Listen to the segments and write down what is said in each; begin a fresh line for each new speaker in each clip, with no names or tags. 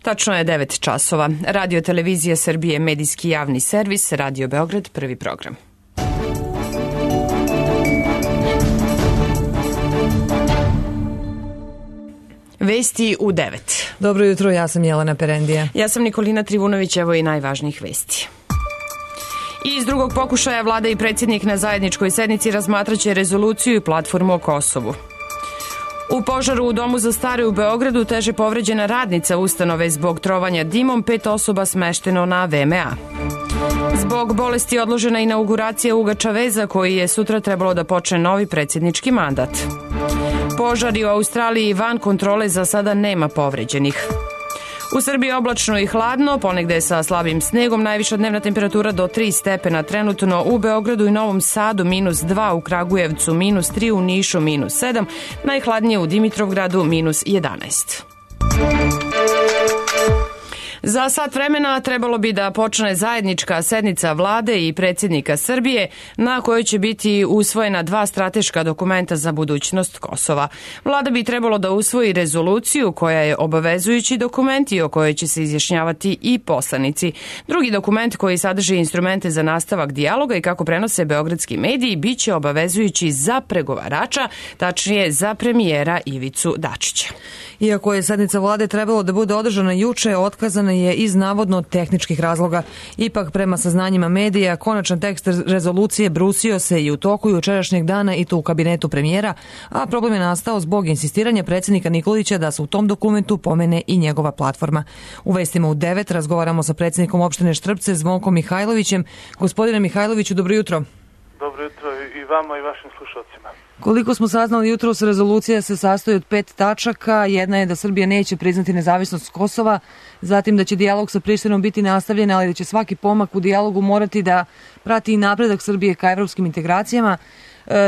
Tačno je 9 časova. Radio Televizija Srbije, medijski javni servis, Radio Beograd, prvi program. Vesti u 9.
Dobro jutro, ja sam Jelena Perendija.
Ja sam Nikolina Trivunović, evo i najvažnijih vesti. Iz drugog pokušaja vlada i predsjednik na zajedničkoj sednici razmatraće rezoluciju i platformu o Kosovu. U požaru u domu za stare u Beogradu teže povređena radnica ustanove zbog trovanja dimom, 5 osoba smešteno na VMA. Zbog bolesti odložena inauguracija Uga Čaveza, koji je sutra trebalo da počne novi predsjednički mandat. Požari u Australiji van kontrole, za sada nema povređenih. U Srbiji oblačno i hladno, ponegde sa slabim snegom, najviša dnevna temperatura do 3 stepena trenutno u Beogradu i Novom Sadu, -2, u Kragujevcu -3, u Nišu -7, najhladnije u Dimitrovgradu -11. Za sat vremena trebalo bi da počne zajednička sednica vlade i predsjednika Srbije, na kojoj će biti usvojena 2 strateška dokumenta za budućnost Kosova. Vlada bi trebalo da usvoji rezoluciju koja je obavezujući dokument i o kojoj će se izjašnjavati i poslanici. Drugi dokument, koji sadrži instrumente za nastavak dijaloga i kako prenose beogradski mediji, biće obavezujući za pregovarača, tačnije za premijera Ivicu Dačića.
Iako je sednica vlade trebalo da bude održana juče, otkazana je iz navodno tehničkih razloga. Ipak, prema saznanjima medija, konačan tekst rezolucije brusio se i u toku jučerašnjeg dana i to u kabinetu premijera, a problem je nastao zbog insistiranja predsjednika Nikolića da se u tom dokumentu pomene i njegova platforma. U vestima u 9 razgovaramo sa predsjednikom opštine Štrpce, Zvonkom Mihajlovićem. Gospodine Mihajloviću, dobro jutro.
Dobro jutro i vama i vašim slušalcima.
Koliko smo saznali jutros, rezolucija se sastoji od 5 tačaka. Jedna je da Srbija neće priznati nezavisnost Kosova, zatim da će dijalog sa Prištinom biti nastavljen, ali da će svaki pomak u dijalogu morati da prati i napredak Srbije ka evropskim integracijama.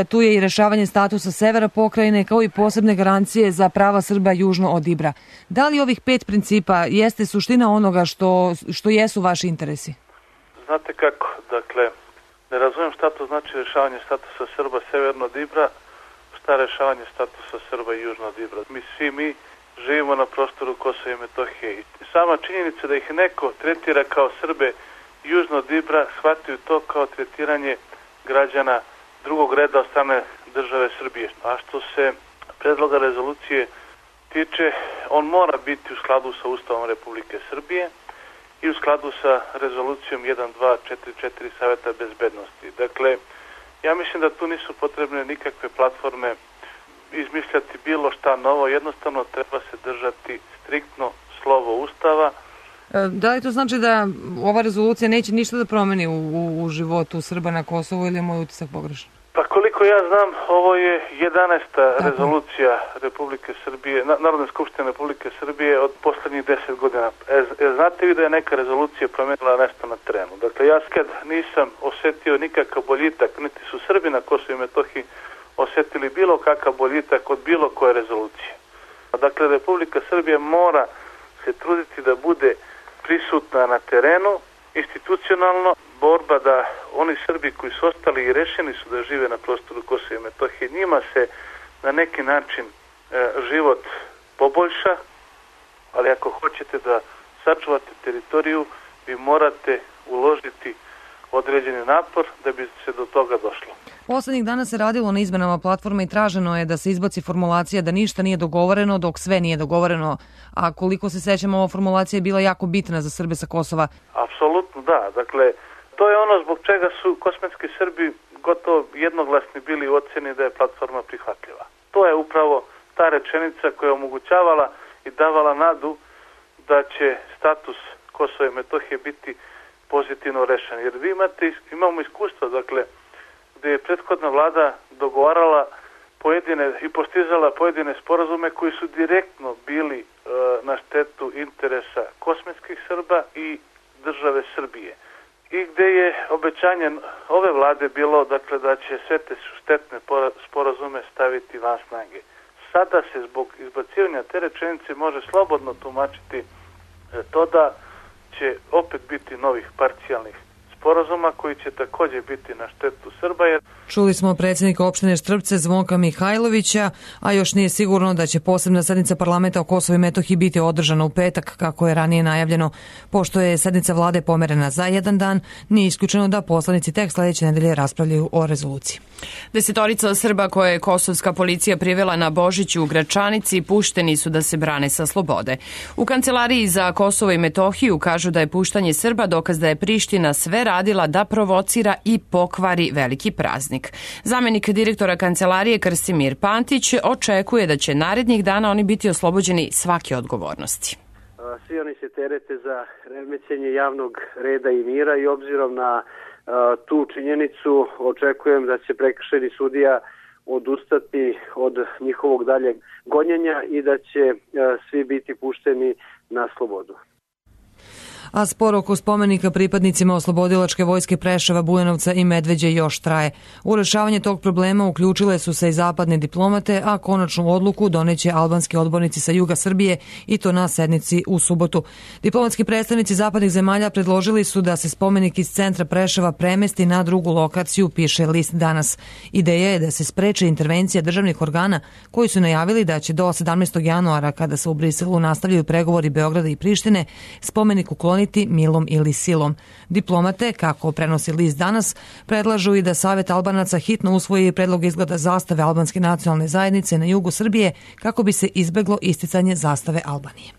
Tu je i rešavanje statusa severa pokrajine, kao i posebne garancije za prava Srba južno od Ibra. Da li ovih 5 principa jeste suština onoga što jesu vaši interesi?
Znate kako, dakle, ne razumijem šta to znači rešavanje statusa Srba severno od Ibra, šta rešavanje statusa Srba i južno od Ibra. Mi živimo na prostoru Kosova i Metohije i sama činjenica da ih neko tretira kao Srbe južno od Ibra, shvataju to kao tretiranje građana drugog reda od strane države Srbije. A što se predloga rezolucije tiče, on mora biti u skladu sa Ustavom Republike Srbije i u skladu sa rezolucijom 1244 Saveta bezbednosti. Dakle, ja mislim da tu nisu potrebne nikakve platforme izmišljati bilo šta novo, jednostavno treba se držati striktno slovo Ustava.
Da li to znači da ova rezolucija neće ništa da promeni u životu Srba na Kosovu, ili je moj utisak pogrešan?
Pa koliko ja znam, ovo je 11. rezolucija Republike Srbije, Narodne skupštine Republike Srbije od poslednjih 10 godina. Znate vi da je neka rezolucija promenila nešto na terenu? Dakle, ja kad nisam osetio nikakav boljitak, niti su Srbi na Kosovu i Metohiji osetili bilo kakav boljitak od bilo koje rezolucije. Dakle, Republika Srbija mora se truditi da bude prisutna na terenu, institucionalno, borba da oni Srbi koji su ostali i rešeni su da žive na prostoru Kosova i Metohije, njima se na neki način život poboljša, ali ako hoćete da sačuvate teritoriju, vi morate uložiti određeni napor da bi se do toga došlo.
Poslednjih dana se radilo na izmenama platforme i traženo je da se izbaci formulacija da ništa nije dogovoreno dok sve nije dogovoreno, a koliko se sećamo, ova formulacija je bila jako bitna za Srbe sa Kosova.
Apsolutno da, dakle, to je ono zbog čega su kosmetski Srbi gotovo jednoglasni bili u oceni da je platforma prihvatljiva. To je upravo ta rečenica koja je omogućavala i davala nadu da će status Kosova i Metohije biti pozitivno rešen. Jer vi imamo iskustva, dakle, gde je prethodna vlada dogovarala pojedine i postizala pojedine sporazume koji su direktno bili na štetu interesa kosmetskih Srba i države Srbije. I gde je obećanje ove vlade bilo, dakle, da će sve te štetne sporazume staviti van snage. Sada se zbog izbacivanja te rečenice može slobodno tumačiti to da će opet biti novih parcijalnih sporazuma koji će takođe biti na štetu Srba.
Čuli smo predsjednika opštine Štrpce Zvonka Mihajlovića, a još nije sigurno da će posebna sednica parlamenta o Kosovu i Metohiji biti održana u petak, kako je ranije najavljeno. Pošto je sednica vlade pomerena za jedan dan, nije isključeno da poslanici tek sledeće nedelje raspravljaju o rezoluciji.
10 Srba koje je kosovska policija privela na Božiću u Gračanici pušteni su da se brane sa slobode. U Kancelariji za Kosovo i Metohiju kažu da je puštanje Srba dokaz da je Priština sve radila da provocira i pokvari veliki praznik. Zamenik direktora Kancelarije Krstimir Pantić očekuje da će narednih dana oni biti oslobođeni svake odgovornosti.
Svi oni se terete za remećenje javnog reda i mira i obzirom na tu činjenicu očekujem da će prekršajni sudija odustati od njihovog daljeg gonjenja i da će svi biti pušteni na slobodu.
A spor oko spomenika pripadnicima oslobodilačke vojske Preševa, Bujanovca i Medveđe još traje. U rešavanje tog problema uključile su se i zapadne diplomate, a konačnu odluku doneće albanski odbornici sa juga Srbije i to na sednici u subotu. Diplomatski predstavnici zapadnih zemalja predložili su da se spomenik iz centra Preševa premesti na drugu lokaciju, piše list Danas. Ideja je da se spreči intervencija državnih organa koji su najavili da će do 17. januara, kada se u Briselu nastavljaju pregovori Beograda i Prištine, spomenik ukloniti milom ili silom. Diplomate, kako prenosi list Danas, predlažu i da Savet Albanaca hitno usvoji predlog izgleda zastave albanske nacionalne zajednice na jugu Srbije kako bi se izbeglo isticanje zastave Albanije.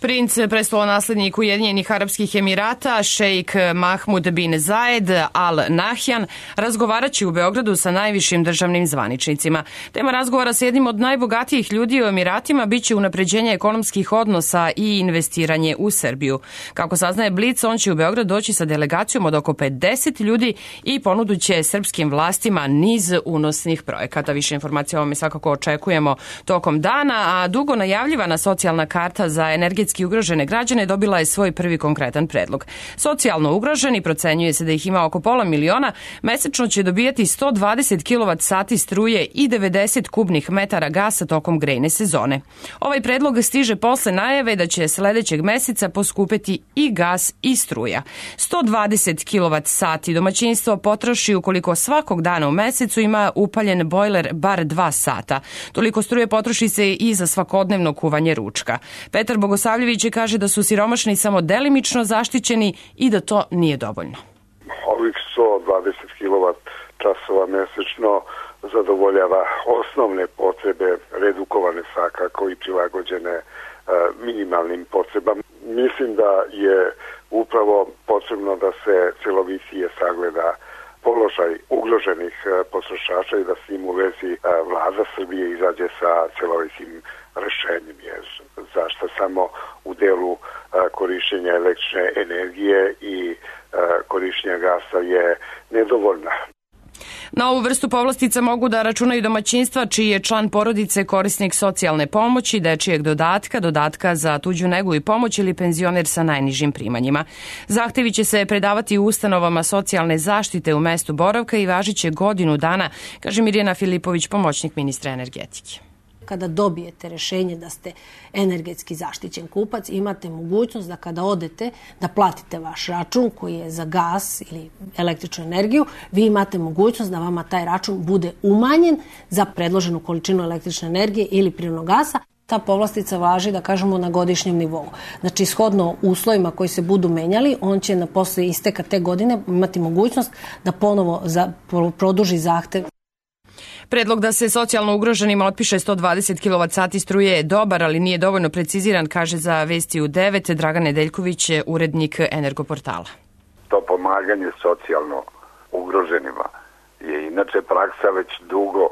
Princ, prestolonaslednik Ujedinjenih Arapskih Emirata, šejk Mahmud bin Zayed Al Nahyan, razgovarat će u Beogradu sa najvišim državnim zvaničnicima. Tema razgovora sa jednim od najbogatijih ljudi u Emiratima biće unapređenje ekonomskih odnosa i investiranje u Srbiju. Kako saznaje Blic, on će u Beograd doći sa delegacijom od oko 50 ljudi i ponuduće srpskim vlastima niz unosnih projekata. Više informacija o ovome svakako očekujemo tokom dana, a dugo najavljivana socijalna karta za energetski ugrožene građane dobila je svoj prvi konkretan predlog. Socijalno ugroženi, procenjuje se da ih ima oko 500.000, mesečno će dobijati 120 kWh struje i 90 kubnih metara gasa tokom grejne sezone. Ovaj predlog stiže posle najave da će sledećeg meseca poskupeti i gas i struja. 120 kWh domaćinstvo potroši ukoliko svakog dana u mesecu ima upaljen bojler bar 2 sata. Toliko struje potroši se i za svakodnevno kuvanje ručka. Petar Bogosavljević kaže da su siromašni samo delimično zaštićeni i da to nije dovoljno.
Ovih 120 kWh mesečno zadovoljava osnovne potrebe redukovane svakako i prilagođene minimalnim potrebama. Mislim da je upravo potrebno da se celovitije sagleda položaj ugroženih potrošača i da s njim u vezi vlada Srbije izađe sa celovitim rešenjem, jer zašto samo u delu korišćenja električne energije i korišćenja gasa je nedovoljna.
Na ovu vrstu povlastica mogu da računaju domaćinstva čiji je član porodice korisnik socijalne pomoći, dečijeg dodatka, dodatka za tuđu negu i pomoć ili penzioner sa najnižim primanjima. Zahtevi će se predavati u ustanovama socijalne zaštite u mestu boravka i važiće godinu dana, kaže Mirjana Filipović, pomoćnik ministra energetike.
Kada dobijete rešenje da ste energetski zaštićen kupac, imate mogućnost da kada odete da platite vaš račun koji je za gas ili električnu energiju, vi imate mogućnost da vama taj račun bude umanjen za predloženu količinu električne energije ili prirodnog gasa. Ta povlastica važi, da kažemo, na godišnjem nivou. Znači, shodno uslovima koji se budu menjali, on će posle isteka te godine imati mogućnost da ponovo produži zahtev.
Predlog da se socijalno ugroženima otpiše 120 kWh struje je dobar, ali nije dovoljno preciziran, kaže za Vesti u 9 Dragan Nedeljković, urednik Energoportala.
To pomaganje socijalno ugroženima je inače praksa već dugo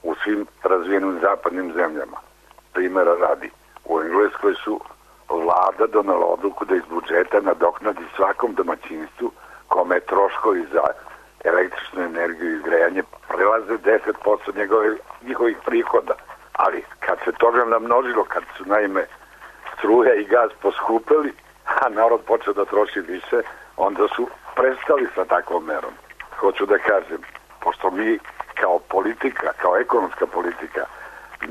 u svim razvijenim zapadnim zemljama. Primjera radi, u Engleskoj su vlada donala odluku da iz budžeta nadoknadi svakom domaćinstvu kome troškovi za električnu energiju i grejanje prelaze 10% njihovih prihoda. Ali kad se toga namnožilo, kad su naime struja i gaz poskupeli, a narod počeo da troši više, onda su prestali sa takvom merom. Hoću da kažem, pošto mi kao politika, kao ekonomska politika,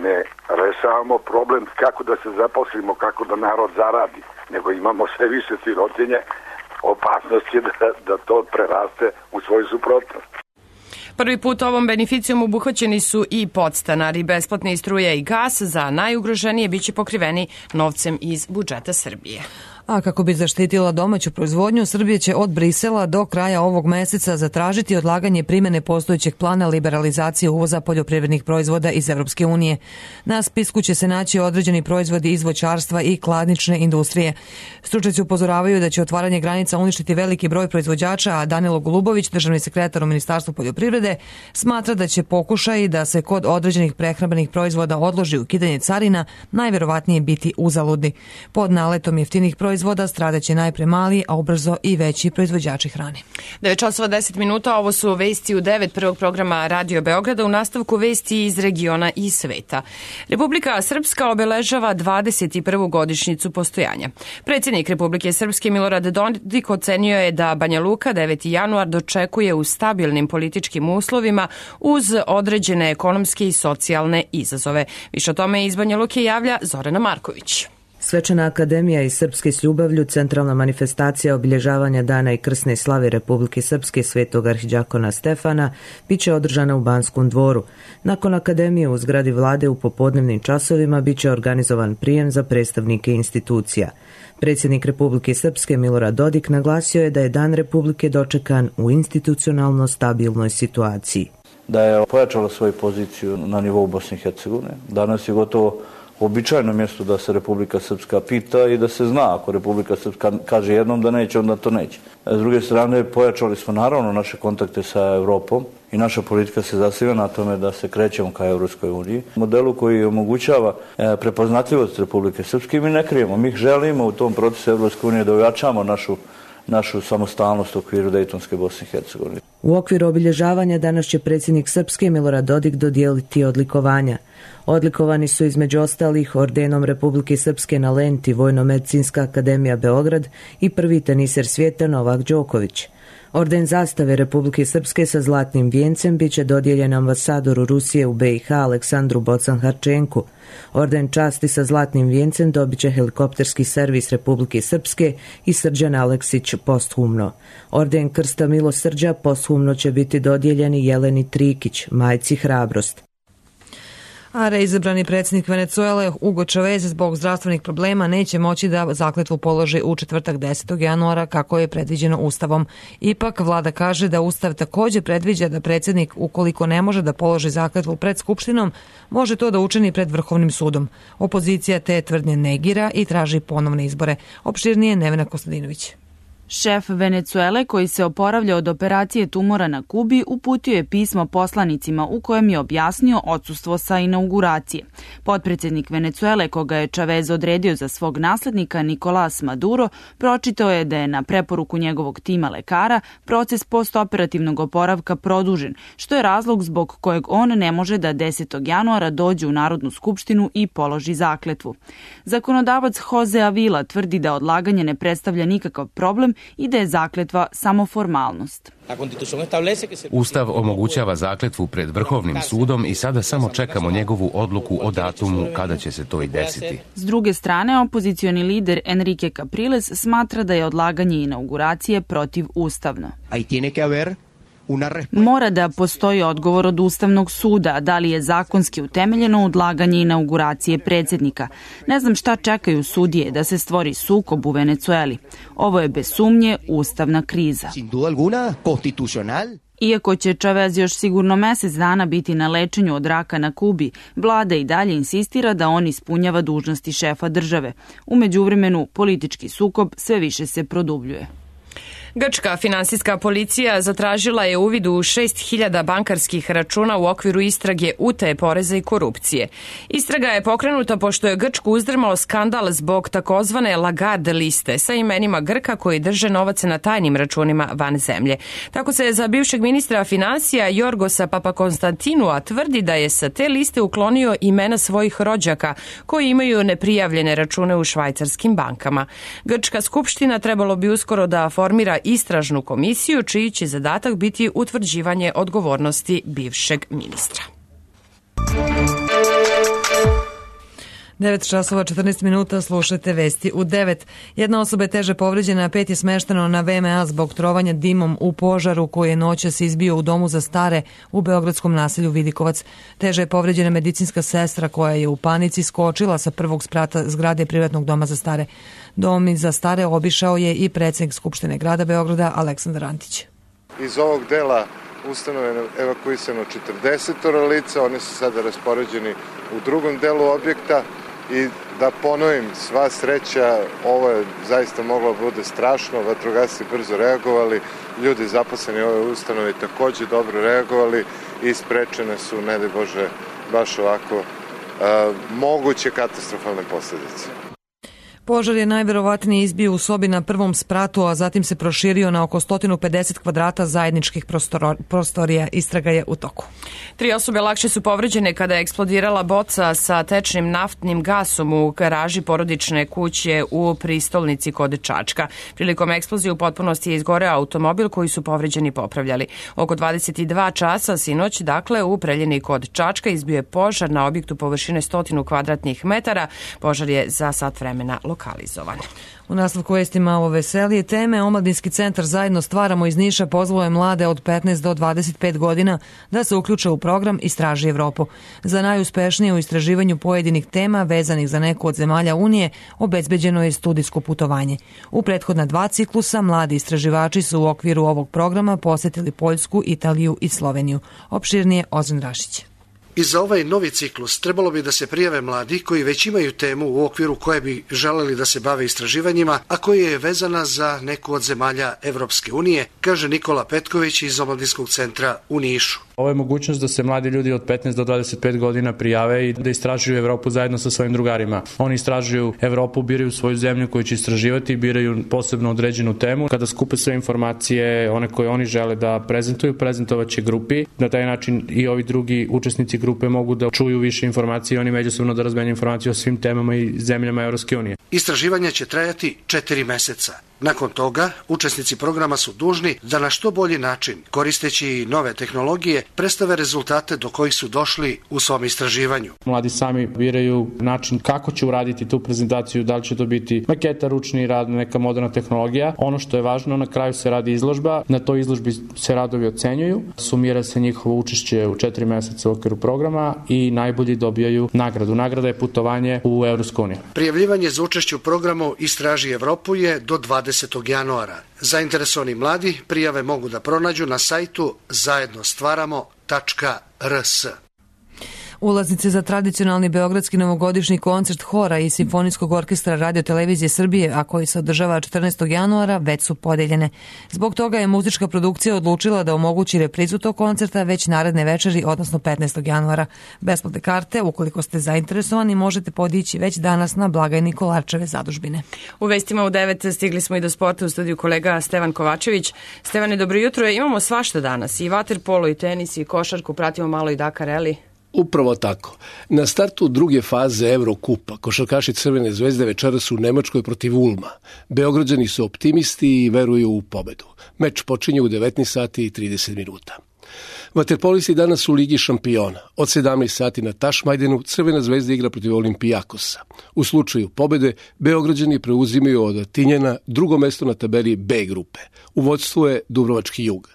ne rešavamo problem kako da se zaposlimo, kako da narod zaradi, nego imamo sve više sirotinje, opasnost je da to preraste u svoju suprotnost.
Prvi put ovom beneficijom obuhvaćeni su i podstanari. Besplatne struje i gas za najugroženije biće pokriveni novcem iz budžeta Srbije.
A kako bi zaštitila domaću proizvodnju, Srbija će od Brisela do kraja ovog meseca zatražiti odlaganje primene postojećeg plana liberalizacije uvoza poljoprivrednih proizvoda iz Evropske unije. Na spisku će se naći određeni proizvodi iz voćarstva i kladnične industrije. Stručnjaci upozoravaju da će otvaranje granica uništiti veliki broj proizvođača, a Danilo Golubović, državni sekretar u Ministarstvu poljoprivrede, smatra da će pokušaj da se kod određenih prehrambenih proizvoda odloži ukidanje carina najverovatnije biti uzaludni. Pod naletom jeftinih proizvoda stradaće najpre mali, a ubrzo i veći proizvođači hrane.
9:10, ovo su vesti u 9 prvog programa Radio Beograda, u nastavku vesti iz regiona i sveta. Republika Srpska obeležava 21. godišnjicu postojanja. Predsjednik Republike Srpske Milorad Dodik ocenio je da Banja Luka 9. januar dočekuje u stabilnim političkim uslovima uz određene ekonomske i socijalne izazove. Više o tome iz Banja Luke javlja Zorana Marković.
Svečana akademija i Srpski s ljubavlju, centralna manifestacija obilježavanja dana i krsne slave Republike Srpske Svetog arhidjakona Stefana, biće održana u Banskom dvoru. Nakon akademije u zgradi vlade u popodnevnim časovima biće organizovan prijem za predstavnike institucija. Predsjednik Republike Srpske Milorad Dodik naglasio je da je Dan Republike dočekan u institucionalno stabilnoj situaciji.
Da je pojačala svoju poziciju na nivou Bosne i Hercegovine. Danas je gotovo običajno mjesto da se Republika Srpska pita i da se zna, ako Republika Srpska kaže jednom da neće, onda to neće. S druge strane, pojačali smo naravno naše kontakte sa Europom i naša politika se zasniva na tome da se krećemo ka Evropskoj uniji. Modelu koji omogućava prepoznatljivost Republike Srpske mi ne krijemo. Mi želimo u tom procesu Evropske unije da ojačamo našu samostalnost u okviru Dejtonske Bosne i Hercegovine.
U okviru obilježavanja danas će predsjednik Srpske Milorad Dodik dodijeliti odlikovanja. Odlikovani su između ostalih ordenom Republike Srpske na lenti Vojno-medicinska akademija Beograd i prvi teniser svijeta Novak Đoković. Orden zastave Republike Srpske sa zlatnim vijencem biće dodijeljen ambasadoru Rusije u BiH Aleksandru Bocan-Harčenku. Orden časti sa zlatnim vijencem dobit će helikopterski servis Republike Srpske i Srđan Aleksić posthumno. Orden Krsta milosrđa posthumno će biti dodijeljeni Jeleni Trikić, majci Hrabrost.
A reizabrani predsjednik Venecuele Hugo Chavez zbog zdravstvenih problema neće moći da zakletvu položi u četvrtak 10. januara kako je predviđeno Ustavom. Ipak vlada kaže da Ustav također predviđa da predsjednik, ukoliko ne može da položi zakletvu pred Skupštinom, može to da učini pred Vrhovnim sudom. Opozicija te tvrdnje negira i traži ponovne izbore. Opširnije Nevena Kostadinović.
Šef Venecuele, koji se oporavlja od operacije tumora na Kubi, uputio je pismo poslanicima u kojem je objasnio odsustvo sa inauguracije. Potpredsjednik Venecuele, koga je Chavez odredio za svog naslednika Nicolás Maduro, pročitao je da je na preporuku njegovog tima lekara proces postoperativnog oporavka produžen, što je razlog zbog kojeg on ne može da 10. januara dođe u Narodnu skupštinu i položi zakletvu. Zakonodavac Jose Avila tvrdi da odlaganje ne predstavlja nikakav problem i da je zakletva samo formalnost.
Ustav omogućava zakletvu pred Vrhovnim sudom i sada samo čekamo njegovu odluku o datumu kada će se to i desiti.
S druge strane, opozicioni lider Enrique Capriles smatra da je odlaganje inauguracije protivustavno. Mora da postoji odgovor od Ustavnog suda, da li je zakonski utemeljeno odlaganje inauguracije predsjednika. Ne znam šta čekaju sudije da se stvori sukob u Venecueli. Ovo je bez sumnje ustavna kriza. Iako će Chavez još sigurno mjesec dana biti na lečenju od raka na Kubi, vlada i dalje insistira da on ispunjava dužnosti šefa države. U međuvremenu, politički sukob sve više se produbljuje.
Grčka finansijska policija zatražila je uvid u 6.000 bankarskih računa u okviru istrage utaje poreza i korupcije. Istraga je pokrenuta pošto je Grčku uzdrmao skandal zbog takozvane Lagarde liste sa imenima Grka koji drže novac na tajnim računima van zemlje. Tako se za bivšeg ministra finansija Jorgosa Papakonstantinua tvrdi da je sa te liste uklonio imena svojih rođaka koji imaju neprijavljene račune u švajcarskim bankama. Grčka skupština trebalo bi uskoro da formira istražnu komisiju čiji će zadatak biti utvrđivanje odgovornosti bivšeg ministra.
9 časova 14 minuta, slušate vesti u 9. Jedna osoba je teže povređena, a 5 je smešteno na VMA zbog trovanja dimom u požaru koji je noćas izbio u domu za stare u beogradskom naselju Vidikovac. Teže je povređena medicinska sestra koja je u panici skočila sa prvog sprata zgrade privatnog doma za stare. Dom za stare obišao je i predsjednik Skupštine grada Beograda Aleksandar Antić.
Iz ovog dela ustanove je evakuisano 40 lica, oni su sada raspoređeni u drugom delu objekta i da ponovim, sva sreća, ovo je zaista moglo bude strašno, vatrogasci brzo reagovali, ljudi zaposleni u ovoj ustanovi takođe dobro reagovali i sprečene su, ne daj Bože, baš ovako moguće katastrofalne posljedice.
Požar je najverovatnije izbio u sobi na prvom spratu, a zatim se proširio na oko 150 kvadrata zajedničkih prostorija. Istraga je u toku.
3 osobe lakše su povređene kada je eksplodirala boca sa tečnim naftnim gasom u garaži porodične kuće u Pristolnici kod Čačka. Prilikom eksplozije u potpunosti je izgoreo automobil koji su povređeni popravljali. Oko 22 časa sinoć, dakle, u Preljini kod Čačka izbio je požar na objektu površine 100 kvadratnih metara. Požar je za sat vremena lokalizovan.
U nastavku vesti malo veselije teme, Omladinski centar Zajedno stvaramo iz Niša pozvao je mlade od 15 do 25 godina da se uključe u program Istraži Evropu. Za najuspešnije u istraživanju pojedinih tema vezanih za neku od zemalja Unije obezbeđeno je studijsko putovanje. U prethodna 2 ciklusa mladi istraživači su u okviru ovog programa posetili Poljsku, Italiju i Sloveniju. Opširnije Ozren Rašić.
I za ovaj novi ciklus trebalo bi da se prijave mladi koji već imaju temu u okviru koje bi želeli da se bave istraživanjima, a koja je vezana za neku od zemalja Evropske unije, kaže Nikola Petković iz Omladinskog centra u Nišu.
Ovo je mogućnost da se mladi ljudi od 15 do 25 godina prijave i da istražuju Evropu zajedno sa svojim drugarima. Oni istražuju Evropu, biraju svoju zemlju koju će istraživati, biraju posebno određenu temu. Kada skupe sve informacije, one koje oni žele da prezentuju, prezentovaće grupi. Na taj način i ovi drugi učesnici grupe mogu da čuju više informacije i oni međusobno da razmenjuju informacije o svim temama i zemljama Evropske unije.
Istraživanja će trajati 4 meseca. Nakon toga, učesnici programa su dužni da na što bolji način, koristeći nove tehnologije, predstave rezultate do kojih su došli u svom istraživanju.
Mladi sami biraju način kako će uraditi tu prezentaciju, da li će to biti maketa, ručni rad, neka moderna tehnologija. Ono što je važno, na kraju se radi izložba, na toj izložbi se radovi ocenjuju, sumira se njihovo učešće u 4 meseca u okviru programa i najbolji dobijaju nagradu. Nagrada je putovanje u Evropsku uniju.
Prijavljivanje za učešće u programu Istraži Evropu je do 20. januara. Zainteresovani mladi prijave mogu da pronađu na sajtu zajednostvaramo.rs.
Ulaznice za tradicionalni beogradski novogodišnji koncert hora i Simfonijskog orkestra Radio-televizije Srbije, a koji se održava 14. januara, već su podeljene. Zbog toga je muzička produkcija odlučila da omogući reprizu tog koncerta već naredne večeri, odnosno 15. januara. Besplatne karte, ukoliko ste zainteresovani, možete podići već danas na blagajni Kolarčeve zadužbine.
U vestima u 9 stigli smo i do sporta, u studiju kolega Stevan Kovačević. Stevane, dobro jutro. Imamo svašta danas, i vaterpolo, i tenis, i košarku, pratimo malo i Dakar Rally.
Upravo tako. Na startu druge faze Evrokupa košarkaši Crvene zvezde večeras su u Nemačkoj protiv Ulma. Beograđani su optimisti i veruju u pobedu. Meč počinje u 19 sati i 30 minuta. Vaterpolisti danas u Ligi šampiona. Od 17 sati na Tašmajdenu Crvena zvezda igra protiv Olimpijakosa. U slučaju pobede, Beograđani preuzimaju od Tinjana drugo mesto na tabeli B grupe. U vodstvu je Dubrovački Jug.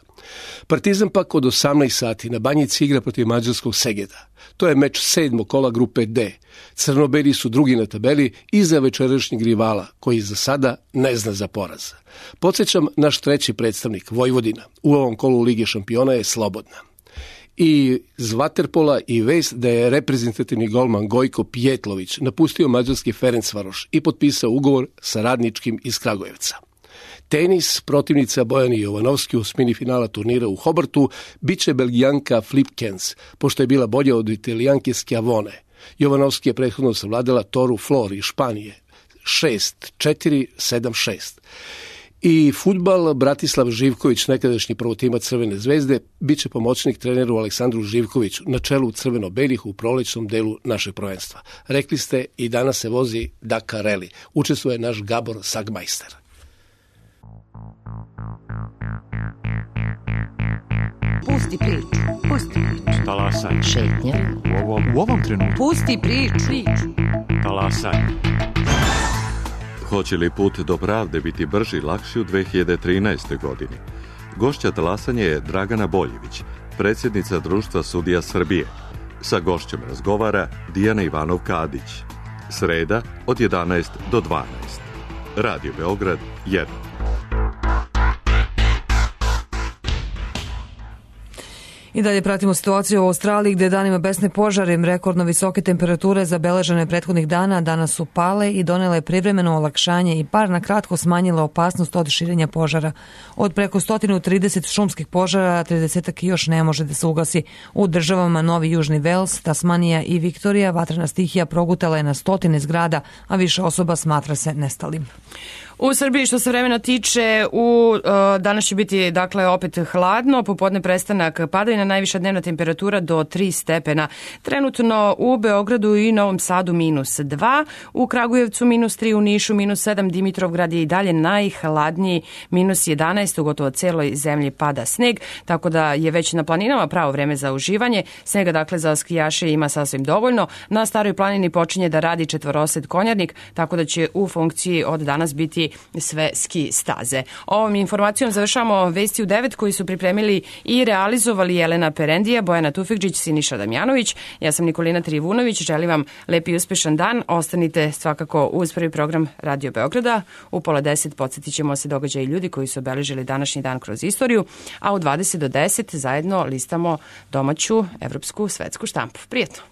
Partizan pak od 18 sati na Banjici igra protiv mađarskog Segeda. To je meč 7. kola grupe D. Crnobeli su drugi na tabeli iza večerašnjeg rivala, koji za sada ne zna za poraz. Podsjećam, naš treći predstavnik, Vojvodina, u ovom kolu Lige šampiona je slobodna. I z vaterpola i vest da je reprezentativni golman Gojko Pjetlović napustio mađarski Ferencvaroš i potpisao ugovor sa Radničkim iz Kragujevca. Tenis, protivnica Bojani Jovanovski u osmini finala turnira u Hobartu biće Belgijanka Flipkens, pošto je bila bolja od Italijanke Schiavone. Jovanovski je prethodno savladala Toru Flor iz Španije 6-4, 7-6. I fudbal, Bratislav Živković, nekadašnji prvotimac Crvene zvezde, biće pomoćnik treneru Aleksandru Živkoviću na čelu crveno-belih u prolećnom delu našeg prvenstva. Rekli ste, i danas se vozi Dakar Rally. Učestvuje naš Gabor Sagmajster.
Pusti priču. Talasanje.
Šetnja.
U ovom trenutku.
Pusti priču.
Talasanje.
Hoće li put do pravde biti brži i lakši u 2013. godini? Gošća talasanja je Dragana Boljević, predsjednica Društva sudija Srbije. Sa gošćom razgovara Dijana Ivanov-Kadić. Sreda od 11 do 12. Radio Beograd 1.
I dalje pratimo situaciju u Australiji gdje danima besne požare, rekordno visoke temperature zabeležene prethodnih dana danas su pale i donele privremeno olakšanje i bar na kratko smanjile opasnost od širenja požara. Od preko 130 šumskih požara, 30 još ne može da se ugasi. U državama Novi Južni Vels, Tasmanija i Viktorija vatrena stihija progutala je na stotine zgrada, a više osoba smatra se nestalim.
U Srbiji što se vremena tiče, danas će biti dakle opet hladno, popodne prestanak padavina, najviša dnevna temperatura do 3 stepena. Trenutno u Beogradu i Novom Sadu -2, u Kragujevcu -3, u Nišu -7, Dimitrovgrad je i dalje najhladniji -11, u gotovo celoj zemlji pada sneg, tako da je već na planinama pravo vreme za uživanje. Snega dakle za skijaše ima sasvim dovoljno. Na Staroj planini počinje da radi četvorosed konjarnik, tako da će u funkciji od danas biti sve ski staze. Ovom informacijom završamo vesti u 9 koji su pripremili i realizovali Jelena Perendija, Bojana Tufekđić, Siniša Damjanović. Ja sam Nikolina Trivunović, želim vam lep i uspešan dan. Ostanite svakako uz prvi program Radio Beograda. U 9:30 podsjetit ćemo se događaja i ljudi koji su obeležili današnji dan kroz istoriju, a u 20 do 10 zajedno listamo domaću, evropsku, svetsku štampu. Prijetno!